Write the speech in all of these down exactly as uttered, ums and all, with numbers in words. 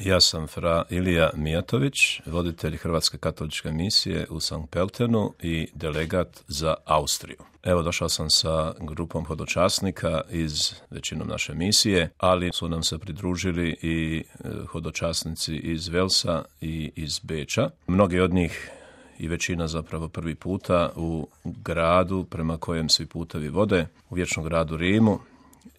Ja sam fra Ilija Mijatović, voditelj Hrvatske katoličke misije u Sankt Pöltenu i delegat za Austriju. Evo, došao sam sa grupom hodočasnika iz većinom naše misije, ali su nam se pridružili i hodočasnici iz Velsa i iz Beča. Mnogi od njih i većina zapravo prvi puta u gradu prema kojem svi putevi vode, u vječnom gradu Rimu,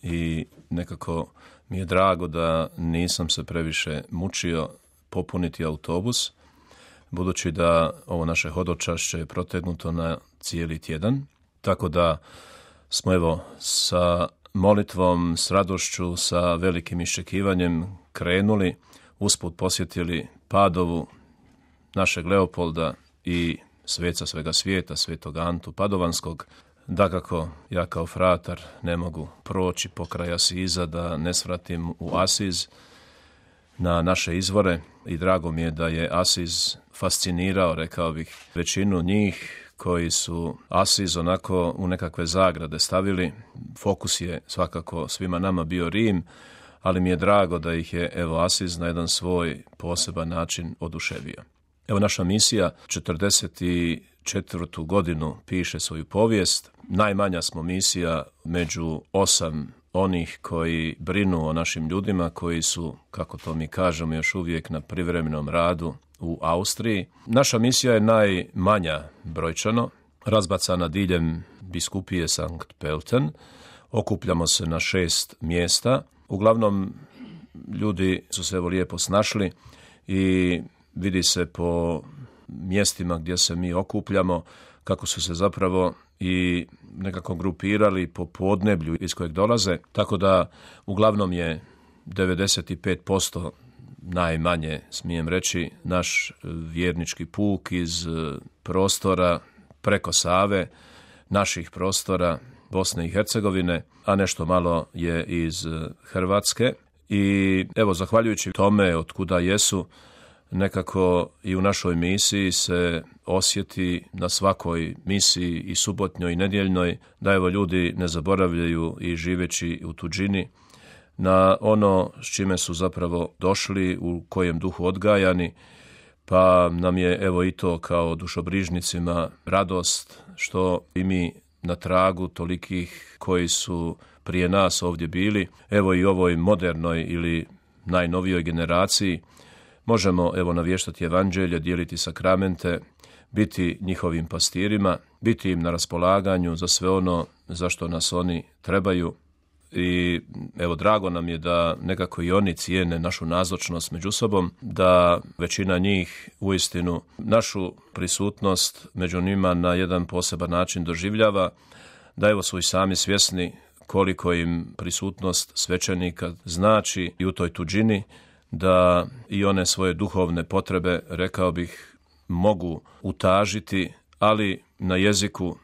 i nekako mi je drago da nisam se previše mučio popuniti autobus, budući da ovo naše hodočašće je protegnuto na cijeli tjedan, tako da smo evo sa molitvom, s radošću, sa velikim iščekivanjem krenuli, usput posjetili Padovu, našeg Leopolda i sveca svega svijeta, svetog Antu Padovanskog. Dakako, ja kao fratar ne mogu proći pokraj Asiza da ne svratim u Asiz na naše izvore i drago mi je da je Asiz fascinirao, rekao bih, većinu njih koji su Asiz onako u nekakve zagrade stavili. Fokus je svakako svima nama bio Rim, ali mi je drago da ih je evo Asiz na jedan svoj poseban način oduševio. Evo, naša misija četrdeset četvrtu godinu piše svoju povijest. Najmanja smo misija među osam onih koji brinu o našim ljudima, koji su, kako to mi kažemo, još uvijek na privremenom radu u Austriji. Naša misija je najmanja brojčano, razbacana diljem biskupije Sankt Pölten. Okupljamo se na šest mjesta. Uglavnom, ljudi su se evo lijepo snašli i vidi se po mjestima gdje se mi okupljamo kako su se zapravo i nekako grupirali po podneblju iz kojeg dolaze, tako da uglavnom je devedeset pet posto najmanje, smijem reći, naš vjernički puk iz prostora preko Save, naših prostora Bosne i Hercegovine, a nešto malo je iz Hrvatske. I evo, zahvaljujući tome od kuda jesu, nekako i u našoj misiji se osjeti na svakoj misiji i subotnjoj i nedjeljnoj da evo ljudi ne zaboravljaju i živeći u tuđini na ono s čime su zapravo došli, u kojem duhu odgajani, pa nam je evo i to kao dušobrižnicima radost što i mi na tragu tolikih koji su prije nas ovdje bili, evo i ovoj modernoj ili najnovijoj generaciji, možemo evo navještati evanđelje, dijeliti sakramente, biti njihovim pastirima, biti im na raspolaganju za sve ono za što nas oni trebaju. I evo, drago nam je da nekako i oni cijene našu nazočnost među sobom, da većina njih uistinu našu prisutnost među njima na jedan poseban način doživljava, da evo su i sami svjesni koliko im prisutnost svećenika znači i u toj tuđini, da i one svoje duhovne potrebe, rekao bih, mogu utažiti, ali na jeziku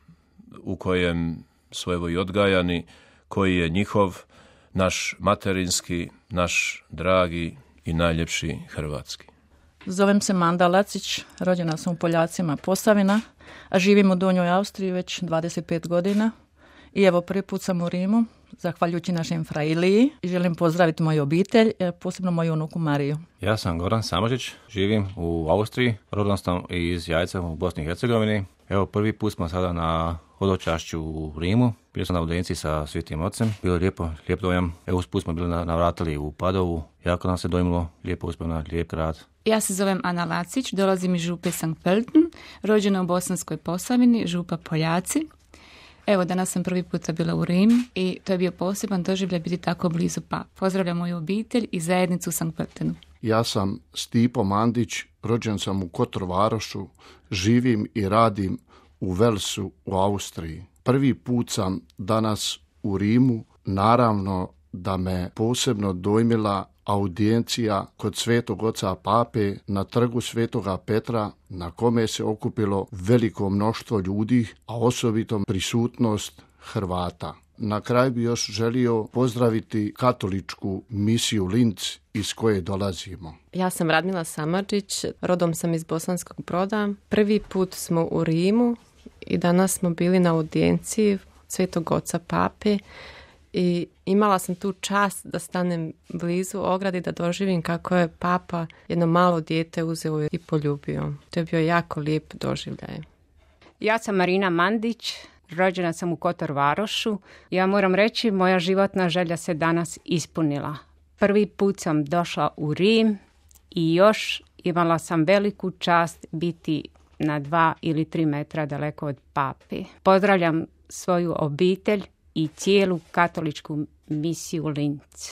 u kojem su evo i odgajani, koji je njihov, naš materinski, naš dragi i najljepši hrvatski. Zovem se Manda Lacić, rođena sam u Poljacima Posavina, a živim u Donjoj Austriji već dvadeset pet godina. I evo, prvi put sam u Rimu, zahvaljujući našem fra Iliji, i želim pozdraviti moju obitelj, posebno moju unuku Mariju. Ja sam Goran Samožić, živim u Austriji, rodom sam iz Jajca u Bosni i Hercegovini. Evo, prvi put smo sada na hodočašću u Rimu. Bili smo na audijenciji sa Svetim Ocem. Bilo je lijepo, lijep dojam. Evo, usput smo bili navratili u Padovu. Jako nam se dojmilo, lijepo uspjevno, lijep grad. Ja se zovem Ana Lacić, dolazim iz župe Sankt Pölten, rođena u Bosanskoj Posavini, župa Poljaci. Evo, danas sam prvi puta bila u Rim i to je bio poseban doživljaj biti tako blizu pa. Pozdravljam moju obitelj i zajednicu u Sankt Pöltenu. Ja sam Stipo Mandić, rođen sam u Kotorvarošu, živim i radim u Velsu u Austriji. Prvi put sam danas u Rimu, naravno da me posebno dojmila audijencija kod Svetog Oca Pape na trgu Svetoga Petra, na kome se okupilo veliko mnoštvo ljudi, a osobito prisutnost Hrvata. Na kraju bi još želio pozdraviti katoličku misiju Linz iz koje dolazimo. Ja sam Radmila Samarđić, rodom sam iz Bosanskog Broda. Prvi put smo u Rimu i danas smo bili na audijenciji Svetog Oca Pape i imala sam tu čast da stanem blizu ogradi, da doživim kako je papa jedno malo dijete uzeo i poljubio. To je bio jako lijep doživljaj. Ja sam Marina Mandić, rođena sam u Kotor Varošu. Ja moram reći, moja životna želja se danas ispunila. Prvi put sam došla u Rim i još imala sam veliku čast biti na dva ili tri metra daleko od papi. Pozdravljam svoju obitelj i cijelu katoličku misiju Linz.